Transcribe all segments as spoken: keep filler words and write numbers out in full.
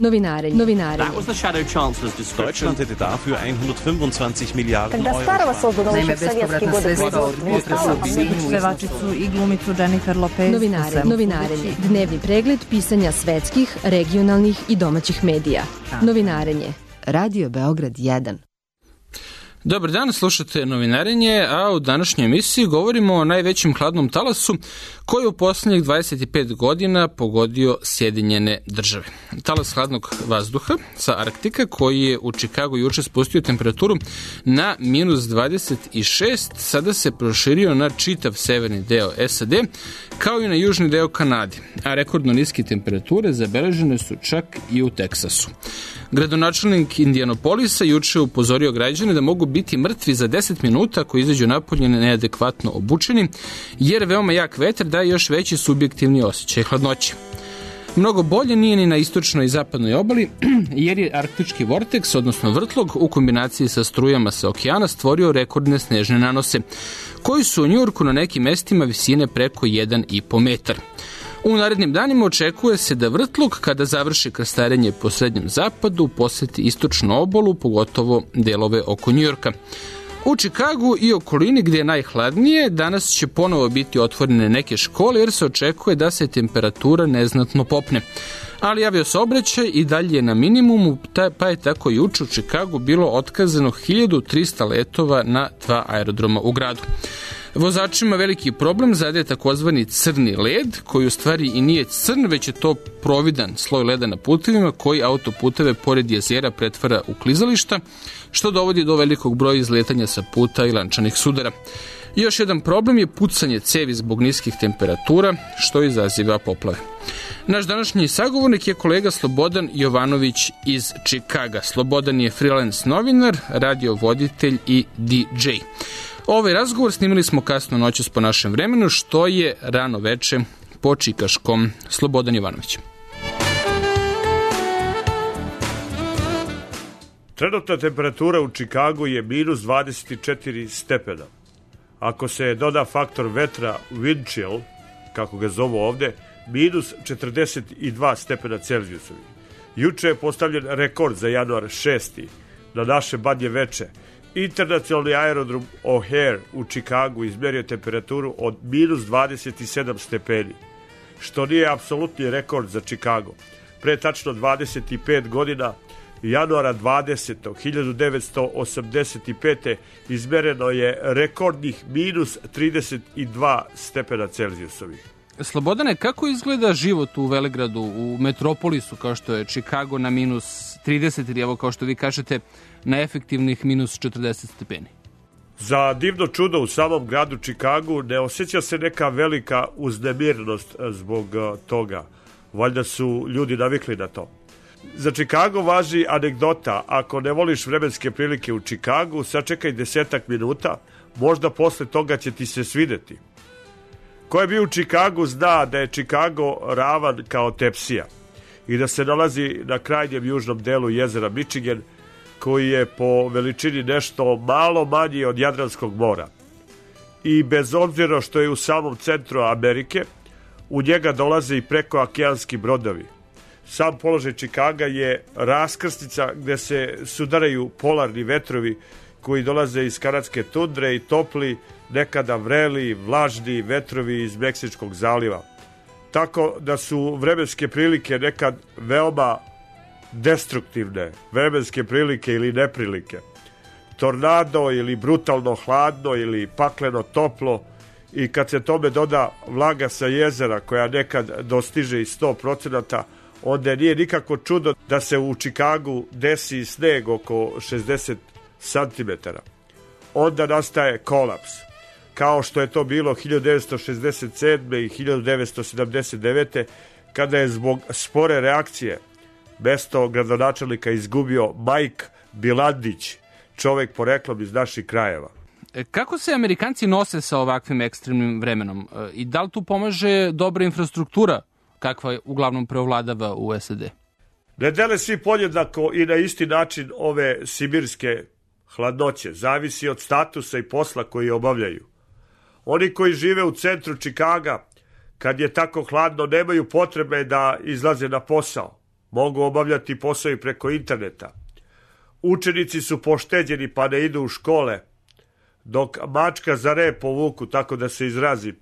Novinarenje. Novinarenje. That was the shadow chancellor's description. Deutschland hätte dafür hundertfünfundzwanzig Milliarden Euro. Naime, bespovratna sredstva od pevačicu i glumicu Jennifer Lopez. Novinare, novinarenje. Dnevni pregled pisanja svetskih, regionalnih i domaćih medija. Novinarenje. Radio Beograd jedan. Dobar dan, slušate Novinarenje, a u današnjoj emisiji govorimo o najvećem hladnom talasu koji je u poslednjih dvadeset pet godina pogodio Sjedinjene države. Talas hladnog vazduha sa Arktika koji je u Čikagu juče spustio temperaturu na minus dvadeset šest, sada se proširio na čitav severni deo S A D kao i na južni deo Kanade, a rekordno niske temperature zabeležene su čak i u Teksasu. Gradonačelnik Indianapolisa juče upozorio građane da mogu biti mrtvi za deset minuta ako izađu napolje neadekvatno obučeni, jer veoma jak vetar daje još veći subjektivni osjećaj hladnoće. Mnogo bolje nije ni na istočnoj i zapadnoj obali, jer je arktički vorteks, odnosno vrtlog, u kombinaciji sa strujama sa okeana stvorio rekordne snežne nanose, koji su u Njujorku na nekim mestima visine preko jedan i po metar. U narednim danima očekuje se da vrtlog, kada završi krstarenje po srednjem zapadu, poseti istočnu obalu, pogotovo delove oko Njujorka. U Čikagu i okolini gdje je najhladnije, danas će ponovo biti otvorene neke škole jer se očekuje da se temperatura neznatno popne. Ali aviosaobraćaj i dalje je na minimumu, pa je tako juče u Čikagu bilo otkazano hiljadu trista letova na dva aerodroma u gradu. Vozačima veliki problem zadaje takozvani crni led, koji u stvari i nije crn, već je to providan sloj leda na putevima koji autoputeve pored jezera pretvara u klizališta, što dovodi do velikog broja izletanja sa puta i lančanih sudara. Još jedan problem je pucanje cevi zbog niskih temperatura, što izaziva poplave. Naš današnji sagovornik je kolega Slobodan Jovanović iz Čikaga. Slobodan je freelance novinar, radiovoditelj i D J. Ovaj razgovor snimili smo kasno noćas po našem vremenu, što je rano veče po čikaškom. Slobodan Jovanović. Trenutna temperatura u Čikagu je minus dvadeset četiri stepena. Ako se doda faktor vetra wind chill, kako ga zovu ovde, minus četrdeset dva stepena Celzijusovi. Juče je postavljen rekord za januar šesti na naše badnje veče. Internacionalni aerodrom O'Hare u Čikagu izmerio temperaturu od minus dvadeset sedam stepeni, što nije apsolutni rekord za Čikago. Pre tačno dvadeset pet godina, januara dvadesetog hiljadu devetsto osamdeset pete. izmereno je rekordnih minus trideset dva stepena Celzijusovih. Slobodane, kako izgleda život u Velegradu, u metropolisu kao što je Čikago na minus trideset ili evo kao što vi kažete na efektivnih minus četrdeset stepeni? Za divno čudo u samom gradu Čikagu ne osjeća se neka velika uznemirnost zbog toga. Valjda su ljudi navikli na to. Za Čikago važi anegdota: ako ne voliš vremenske prilike u Čikagu, sačekaj desetak minuta, možda posle toga će ti se svideti. Ko je bio u Čikagu zna da je Čikago ravan kao tepsija i da se nalazi na krajnjem južnom delu jezera Michigan, koji je po veličini nešto malo manji od Jadranskog mora. I bez obzira što je u samom centru Amerike, u njega dolaze i prekookeanski brodovi. Sam položaj Čikaga je raskrsnica gde se sudaraju polarni vetrovi koji dolaze iz kanadske tundre i topli, nekada vreli, vlažni vetrovi iz Meksičkog zaliva. Tako da su vremenske prilike nekad veoma destruktivne, vremenske prilike ili neprilike. Tornado ili brutalno hladno ili pakleno toplo, i kad se tome doda vlaga sa jezera koja nekad dostiže i sto procenata, onda nije nikako čudo da se u Čikagu desi sneg oko šezdeset santimetara. Onda nastaje kolaps, kao što je to bilo hiljadu devetsto šezdeset sedme. i hiljadu devetsto sedamdeset devete. kada je zbog spore reakcije mesto gradonačelnika izgubio Mike Bilandić, čovek poreklom iz naših krajeva. Kako se Amerikanci nose sa ovakvim ekstremnim vremenom? I da li tu pomaže dobra infrastruktura, kakva uglavnom preovladava u S A D? Ne dele svi podjednako i na isti način ove sibirske hladnoće. Zavisi od statusa i posla koji obavljaju. Oni koji žive u centru Čikaga, kad je tako hladno, nemaju potrebe da izlaze na posao. mogu obavljati posao i preko interneta. Učenici su pošteđeni pa ne idu u škole, dok mačka za rep povuku, tako da se izrazim,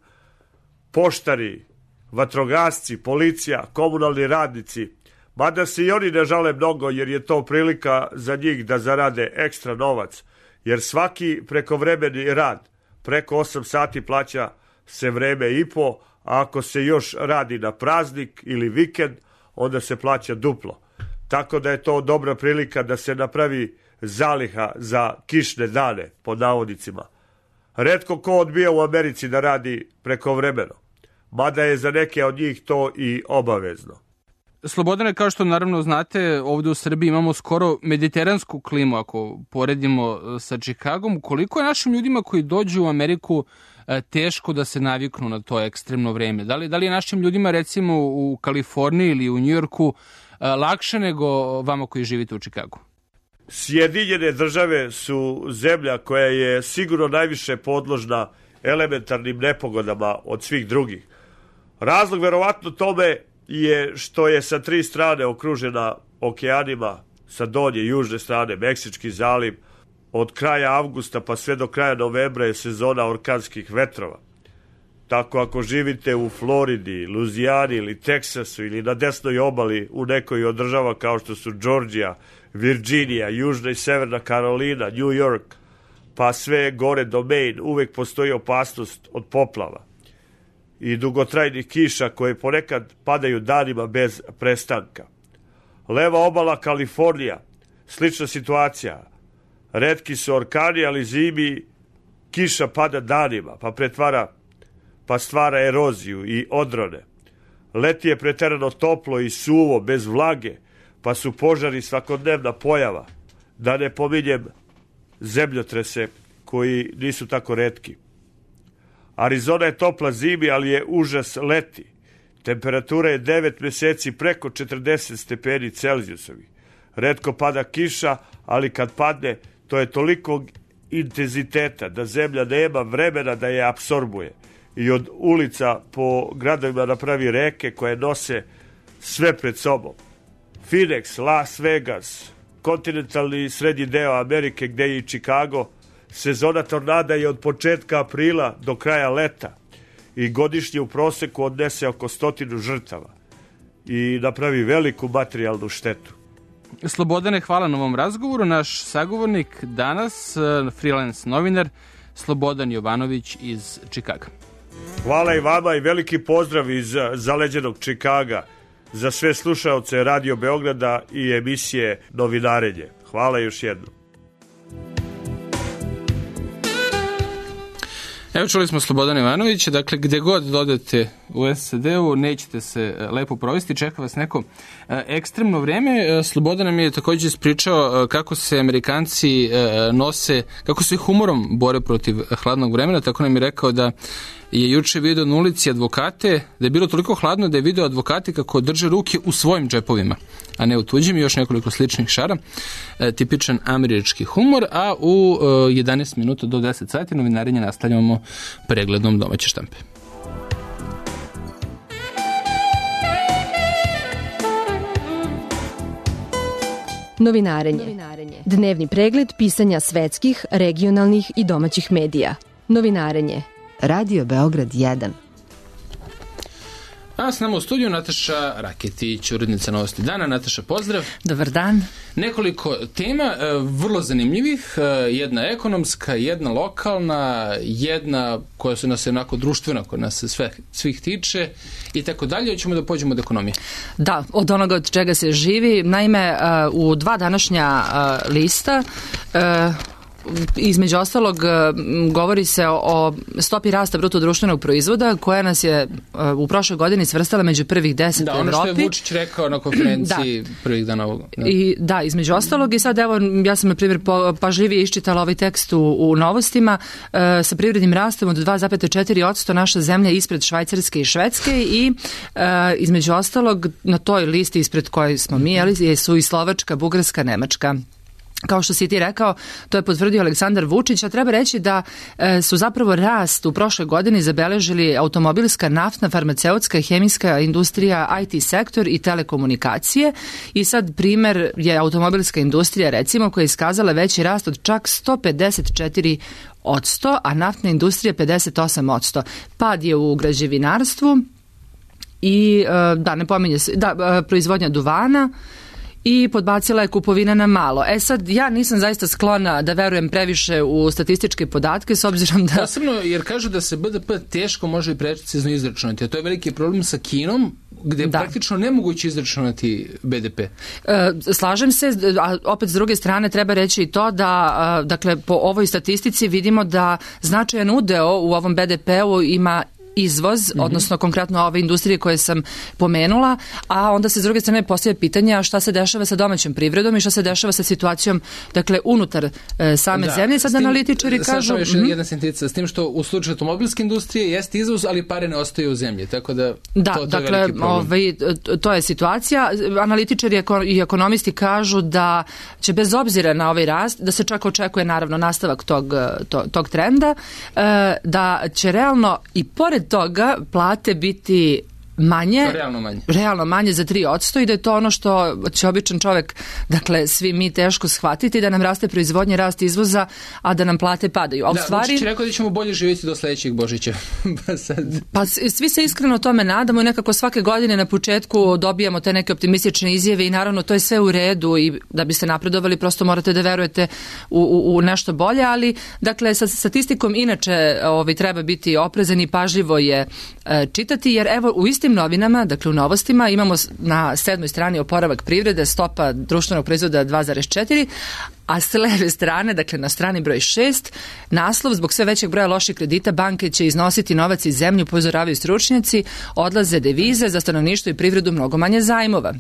poštari, vatrogasci, policija, komunalni radnici, mada se i oni ne žale mnogo jer je to prilika za njih da zarade ekstra novac, jer svaki prekovremeni rad preko osam sati plaća se vreme i po, a ako se još radi na praznik ili vikend, onda se plaća duplo. Tako da je to dobra prilika da se napravi zaliha za kišne dane, pod navodnicima. Retko ko odbija u Americi da radi prekovremeno, mada je za neke od njih to i obavezno. Slobodane, kao što naravno znate, ovdje u Srbiji imamo skoro mediteransku klimu, ako poredimo sa Čikagom. Koliko je našim ljudima koji dođu u Ameriku teško da se naviknu na to ekstremno vreme? Da li, da li je našim ljudima, recimo u Kaliforniji ili u Njujorku, lakše nego vama koji živite u Čikagu? Sjedinjene države su zemlja koja je sigurno najviše podložna elementarnim nepogodama od svih drugih. Razlog verovatno tome je što je sa tri strane okružena okeanima, sa donje južne strane Meksički zaliv, od kraja avgusta pa sve do kraja novembra je sezona orkanskih vetrova. Tako ako živite u Floridi, Luzijani ili Teksasu ili na desnoj obali u nekoj od država kao što su Georgija, Virginija, Južna i Severna Karolina, New York, pa sve gore do Maine, uvek postoji opasnost od poplava i dugotrajnih kiša koje ponekad padaju danima bez prestanka. Leva obala Kalifornija, slična situacija. Retki su orkani, ali zimi kiša pada danima, pa pretvara, pa stvara eroziju i odrone. Leti je preterano toplo i suvo, bez vlage, pa su požari svakodnevna pojava. Da ne pominjem zemljotrese koji nisu tako retki. Arizona je topla zimi, ali je užas leti. Temperatura je devet meseci preko četrdeset stepeni Celzijusovih. Retko pada kiša, ali kad padne, to je toliko intenziteta da zemlja nema vremena da je apsorbuje. I od ulica po gradovima napravi reke koje nose sve pred sobom. Phoenix, Las Vegas, kontinentalni srednji deo Amerike gde je i Chicago, sezona tornada je od početka aprila do kraja leta i godišnje u proseku odnese oko stotinu žrtava i napravi veliku materijalnu štetu. Slobodane, hvala na ovom razgovoru. Naš sagovornik danas, freelance novinar, Slobodan Jovanović iz Čikaga. Hvala i vama i veliki pozdrav iz zaleđenog Čikaga za sve slušaoce Radio Beograda i emisije Novinarenje. Hvala još jednom. Evo, čuli smo Slobodana Ivanovića, dakle gde god dodete u es a de-u nećete se lepo provesti, čeka vas neko ekstremno vreme. Slobodan nam je također ispričao kako se Amerikanci nose, kako se humorom bore protiv hladnog vremena, tako nam je rekao da je juče video na ulici advokate, da je bilo toliko hladno da je video advokati kako drže ruke u svojim džepovima, a ne u tuđim, i još nekoliko sličnih šara. E, tipičan američki humor, a u e, jedanaest minuta do deset sati novinarenje nastavljamo pregledom domaće štampe. Novinarenje. Dnevni pregled pisanja svetskih, regionalnih i domaćih medija. Novinarenje. Radio Beograd jedan. A s nama u studiju Nataša Raketić, urednica Novosti dana. Nataša, pozdrav. Dobar dan. Nekoliko tema, vrlo zanimljivih. Jedna ekonomska, jedna lokalna, jedna koja su nas onako društvena, koja nas sve, svih tiče i tako dalje. Hoćemo da pođemo od ekonomije. Da, od onoga od čega se živi. Naime, u dva današnja lista između ostalog govori se o stopi rasta bruto društvenog proizvoda koja nas je u prošloj godini svrstala među prvih deset da, u Evropi. Da, ono što je Vučić rekao na konferenciji da. prvih dana ovog. Da. I, da, između ostalog i sad evo ja sam na primjer pažljivije iščitala ovaj tekst u, u novostima e, sa privrednim rastom od dva zarez četiri posto naša zemlja ispred Švajcarske i Švedske i e, između ostalog na toj listi ispred koje smo mi, ali su i Slovačka, Bugarska, Nemačka Kao što si ti rekao, to je potvrdio Aleksandar Vučić, a treba reći da e, su zapravo rast u prošloj godini zabeležili automobilska, naftna, farmaceutska, hemijska industrija, I T sektor i telekomunikacije. I sad primer je automobilska industrija, recimo, koja je iskazala veći rast od čak sto pedeset četiri odsto, a naftna industrija pedeset osam odsto. Pad je u građevinarstvu i, e, da, ne pominje se, da, proizvodnja duvana, i podbacila je kupovina na malo. E sad, ja nisam zaista sklona da verujem previše u statističke podatke, s obzirom da... Posebno jer kažu da se B D P teško može i precizno izračunati, a to je veliki problem sa Kinom, gde je da. praktično nemoguće izračunati B D P. E, slažem se, a opet s druge strane treba reći i to da, a, dakle, po ovoj statistici vidimo da značajan udeo u ovom B D P-u ima izvoz, mm-hmm. odnosno konkretno ove industrije koje sam pomenula, a onda se s druge strane postavlja pitanje šta se dešava sa domaćom privredom i šta se dešava sa situacijom, dakle, unutar e, same da. zemlje. Sad tim, analitičari kažu... Sad još mm-hmm. jedna sentencija, s tim što u slučaju automobilske industrije jeste izvoz, ali pare ne ostaju u zemlji, tako da, da to, to dakle, je veliki problem. Ovaj, to je situacija. Analitičari i ekonomisti kažu da će bez obzira na ovaj rast, da se čak očekuje naravno nastavak tog, to, tog trenda, e, da će realno i pored toga plate biti manje, realno manje, realno manje za tri odsto i da je to ono što će običan čovek, dakle svi mi teško shvatiti, da nam raste proizvodnja, rast izvoza, a da nam plate padaju. A u da, stvari... Vučić rekao da ćemo bolje živjeti do sledećeg Božića. pa, sad... pa svi se iskreno tome nadamo i nekako svake godine na početku dobijamo te neke optimistične izjave i naravno to je sve u redu i da biste napredovali prosto morate da verujete u, u, u nešto bolje, ali dakle sa statistikom inače ovaj, treba biti oprezan i pažljivo je e, čitati, jer evo u istim novinama, dakle u novostima, imamo na sedmoj strani oporavak privrede, stopa društvenog proizvoda dva zarez četiri, a s leve strane, dakle na strani broj šest, naslov zbog sve većeg broja loših kredita banke će iznositi novac iz zemlje, upozoravaju stručnjaci, odlaze devize, za stanovništvo i privredu mnogo manje zajmova.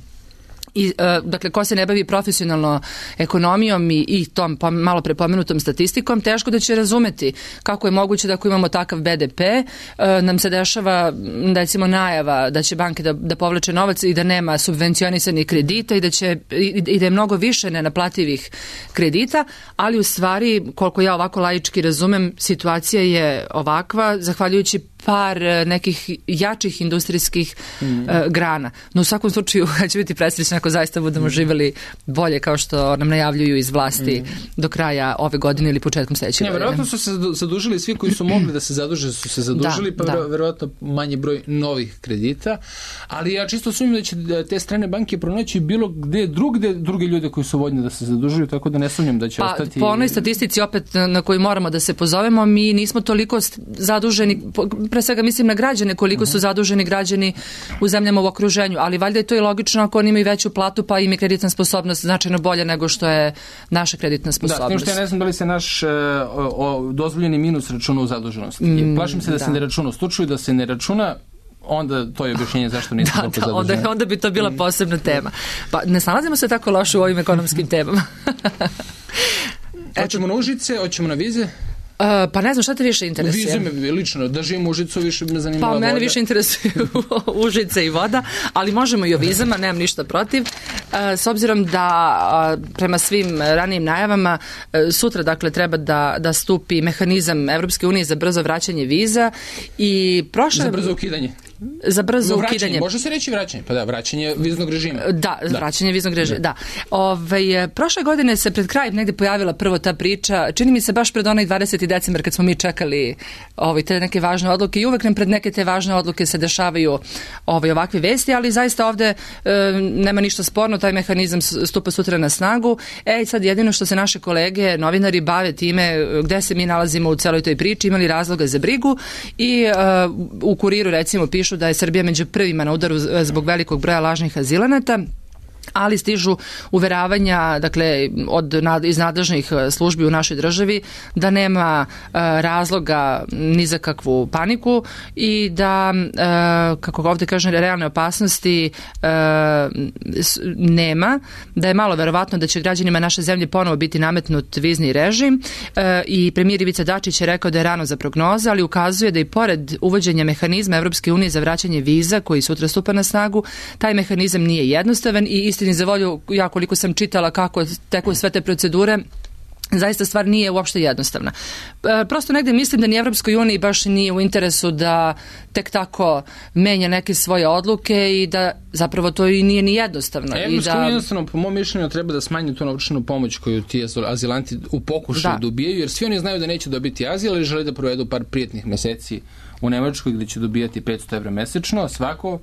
I, dakle, ko se ne bavi profesionalno ekonomijom i, i tom malo prepomenutom statistikom, teško da će razumeti kako je moguće da ako imamo takav B D P, nam se dešava, recimo, najava da će banke da, da povlače novac i da nema subvencionisanih kredita i da, će, i, i da je mnogo više nenaplativih kredita, ali u stvari, koliko ja ovako laički razumem, situacija je ovakva, zahvaljujući par nekih jačih industrijskih mm. uh, grana. No u svakom slučaju ja ću biti presrećna ako zaista budemo mm. živjeli bolje kao što nam najavljuju iz vlasti mm. do kraja ove godine ili početkom sledeće godine. Verovatno su se zadužili svi koji su mogli da se zaduže, su se zadužili, da, pa da. verovatno manji broj novih kredita, ali ja čisto sumnjam da će te strane banke pronaći bilo gde drugde druge ljude koji su voljni da se zadužuju, tako da ne sumnjam da će pa, ostati... Po onoj statistici opet na koju moramo da se pozovemo, mi nismo toliko zaduženi, pre svega mislim na građane, koliko uh-huh. su zaduženi građani u zemljama u okruženju, ali valjda je to i logično ako oni imaju veću platu, pa im je kreditna sposobnost značajno bolja nego što je naša kreditna sposobnost. Da, s tim što ja ne znam da li se naš uh, o, dozvoljeni minus računa u zaduženosti. Mm, Plašim se da, da se ne računa u slučaju, da se ne računa, onda to je objašnjenje zašto nismo da, toliko da, zaduženi. Onda, onda bi to bila posebna tema. Pa ne snalazimo se tako loše u ovim ekonomskim temama. Hoćemo na Užice, hoćemo na vize? Uh, pa ne znam šta te više interesuje. Vize me lično, da živim u Užicu više me zanima voda. Pa mene više interesuju Užice i voda, ali možemo i o vizama, nemam ništa protiv. Uh, s obzirom da uh, prema svim ranijim najavama uh, sutra dakle treba da, da stupi mehanizam Evropske unije za brzo vraćanje viza i prošle... Za brzo ukidanje. Za brzo vraćanje, ukidanje. Može se reći vraćanje, pa da, vraćanje viznog režima. Da, da. vraćanje viznog režima, da. da. Ove, prošle godine se pred kraj negde pojavila prvo ta priča, čini mi se baš pred onaj dvadeseti decembar kad smo mi čekali ovaj, te neke važne odluke i uvek nam pred neke te važne odluke se dešavaju ovaj, ovakve vesti, ali zaista ovde e, nema ništa sporno, taj mehanizam stupa sutra na snagu. E, sad jedino što se naše kolege, novinari, bave time gde se mi nalazimo u celoj toj priči, imali razloga za brigu i e, u Kuriru recimo pišu da je Srbija među prvima na udaru zbog velikog broja lažnih azilanata, ali stižu uveravanja, dakle, od, iz nadležnih službi u našoj državi da nema e, razloga ni za kakvu paniku i da, e, kako ovde kažem, realne opasnosti e, nema, da je malo verovatno da će građanima naše zemlje ponovo biti nametnut vizni režim e, i premijer Ivica Dačić je rekao da je rano za prognoze, ali ukazuje da i pored uvođenja mehanizma Evropske unije za vraćanje viza koji sutra stupa na snagu, taj mehanizam nije jednostavan i istini za volju, ja koliko sam čitala kako teku sve te procedure, zaista stvar nije uopšte jednostavna. E, prosto negde mislim da ni Evropskoj uniji baš nije u interesu da tek tako menja neke svoje odluke i da zapravo to i nije ni jednostavno. Evropska unija da... jednostavno, po mom mišljenju, treba da smanji tu novčanu pomoć koju ti azilanti u pokušaju da. dobijaju, jer svi oni znaju da neće dobiti azil ili žele da provedu par prijetnih meseci u Nemačkoj gde će dobijati petsto evra mesečno, svako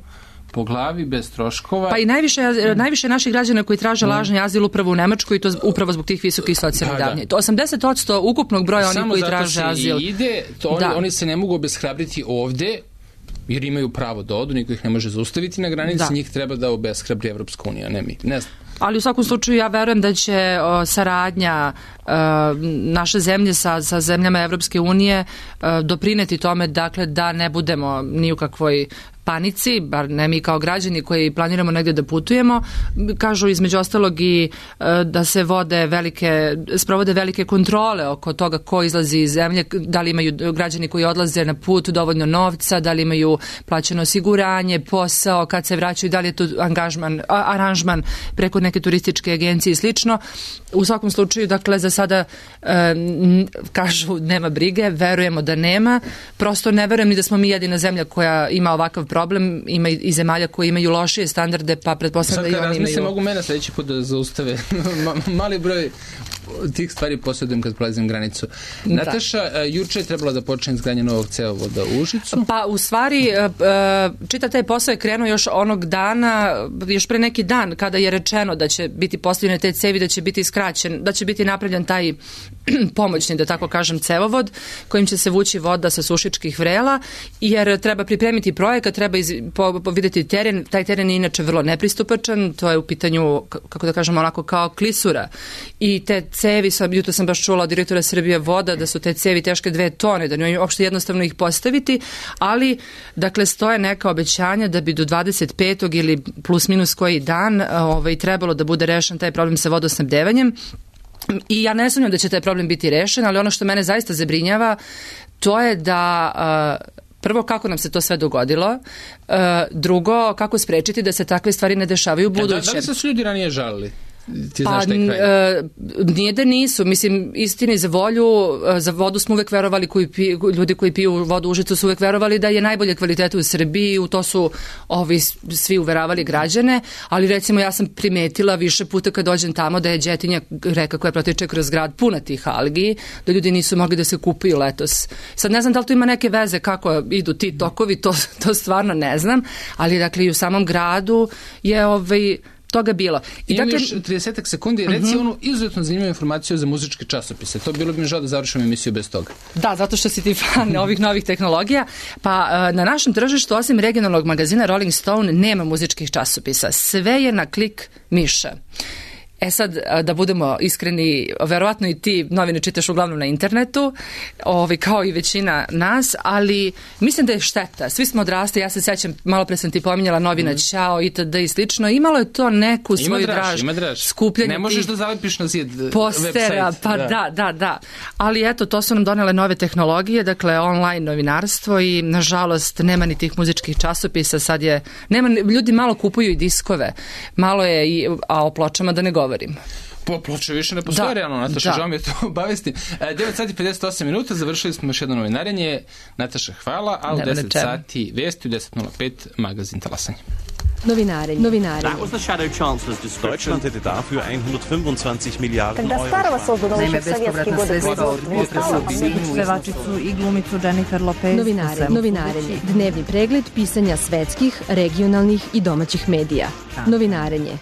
po glavi, bez troškova. Pa i najviše, najviše naših građana koji traže lažni azil upravo u Nemačkoj i to upravo zbog tih visokih socijalnih davanja. To osamdeset posto ukupnog broja onih koji traže azil. Samo zato se i ide, to oni, oni se ne mogu obeshrabriti ovde, jer imaju pravo da odu, niko ih ne može zaustaviti na granici, da. Njih treba da obeshrabri Evropska unija, ne mi. Ne znam. Ali u svakom slučaju ja verujem da će o, saradnja o, naše zemlje sa, sa zemljama Evropske unije o, doprineti tome, dakle, da ne budemo ni u kakvoj panici, bar ne mi kao građani koji planiramo negde da putujemo. Kažu između ostalog i e, da se vode velike, sprovode velike kontrole oko toga ko izlazi iz zemlje, da li imaju građani koji odlaze na put dovoljno novca, da li imaju plaćeno osiguranje, posao, kad se vraćaju, da li je to angažman, a, aranžman preko neke turističke agencije i slično. U svakom slučaju, dakle, za sada e, kažu nema brige, verujemo da nema, prosto ne verujem ni da smo mi jedina zemlja koja ima ovakav problem, ima i zemalja koji imaju lošije standarde, pa pretpostavljam da i oni imaju. Sad mogu mene sledeći put da zaustave. Mali broj tih stvari posjedujem kad prolazim granicu. Da. Nataša, juče je trebala da počne izgradnje novog cevovoda u Užicu. Pa u stvari, čitav taj posao je krenuo još onog dana, još pre neki dan, kada je rečeno da će biti postavljene te cevi, da će biti skraćen, da će biti napravljen taj pomoćni, da tako kažem, cevovod, kojim će se vući voda sa Sušičkih vrela, jer treba pripremiti projekat, treba iz, po, po, vidjeti teren. Taj teren je inače vrlo nepristupačan, to je u pitanju, kako da kažem, onako kao klisura. I te cevi, sam, jutro sam baš čula od direktora Srbije voda, da su te cevi teške dve tone, da nije uopšte jednostavno ih postaviti, ali, dakle, stoje neka obećanja da bi do dvadeset petog ili plus minus koji dan ovaj, trebalo da bude rešen taj problem sa vodosnabdevanjem. I ja ne sumnjam da će taj problem biti rešen, ali ono što mene zaista zabrinjava, to je da... Uh, prvo, kako nam se to sve dogodilo, uh, drugo, kako sprečiti da se takve stvari ne dešavaju u budućem. Da, da li se su ljudi ranije žalili? Ti pa, znaš taj kraj? Uh, nije da nisu, mislim, istini za volju, uh, za vodu smo uvek verovali, koji piju, ljudi koji piju vodu u Užicu su uvek verovali da je najbolje kvalitete u Srbiji, u to su ovi svi uveravali građane, ali recimo ja sam primetila više puta kad dođem tamo da je Đetinja, reka koja protiče kroz grad, puna tih algi, da ljudi nisu mogli da se kupaju letos. Sad ne znam da li to ima neke veze kako idu ti tokovi, to, to stvarno ne znam, ali dakle i u samom gradu je ovaj toga bilo. I imam dakle, još trideset sekundi, reci uh-huh. onu izuzetno zanimljivu informaciju za muzičke časopise. To bilo bi mi žao da završim emisiju bez toga. Da, zato što si ti fan ovih novih tehnologija. Pa na našem tržištu, osim regionalnog magazina Rolling Stone, nema muzičkih časopisa. Sve je na klik miša. E sad, da budemo iskreni, verovatno i ti novine čitaš uglavnom na internetu, ovaj, kao i većina nas, ali mislim da je šteta. Svi smo odrasli, ja se sećam, malo pre sam ti pominjala novina mm. Ćao, itd. I slično. Imalo je to neku svoju ima draž, draž, ima draž. skupljanje. Ne možeš da zalepiš na zid postera, website. Pa da. da, da, da. Ali eto, to su nam donele nove tehnologije, dakle online novinarstvo i nažalost nema ni tih muzičkih časopisa. Sad je, nema, ljudi malo kupuju i diskove, malo je, i, a o pločama da ne govorim. Po ploče više ne postoje, realno, Nataša, žao mi je to obavesti. devet sati pedeset osam minuta, završili smo još jedno novinarenje. Nataša, hvala, a u deset sati vesti, u deset nula pet magazin Talasanje. Novinarenje. Novinarenje. That was the shadow chancellor's discussion. Deutschland hätte dafür hundertfünfundzwanzig Milliarden Когда Старого создан еще в советские годы производства. Pevačicu i glumicu Jennifer Lopez. Novinarenje. Novinarenje. Dnevni pregled pisanja svetskih, regionalnih i domaćih medija. Novinarenje.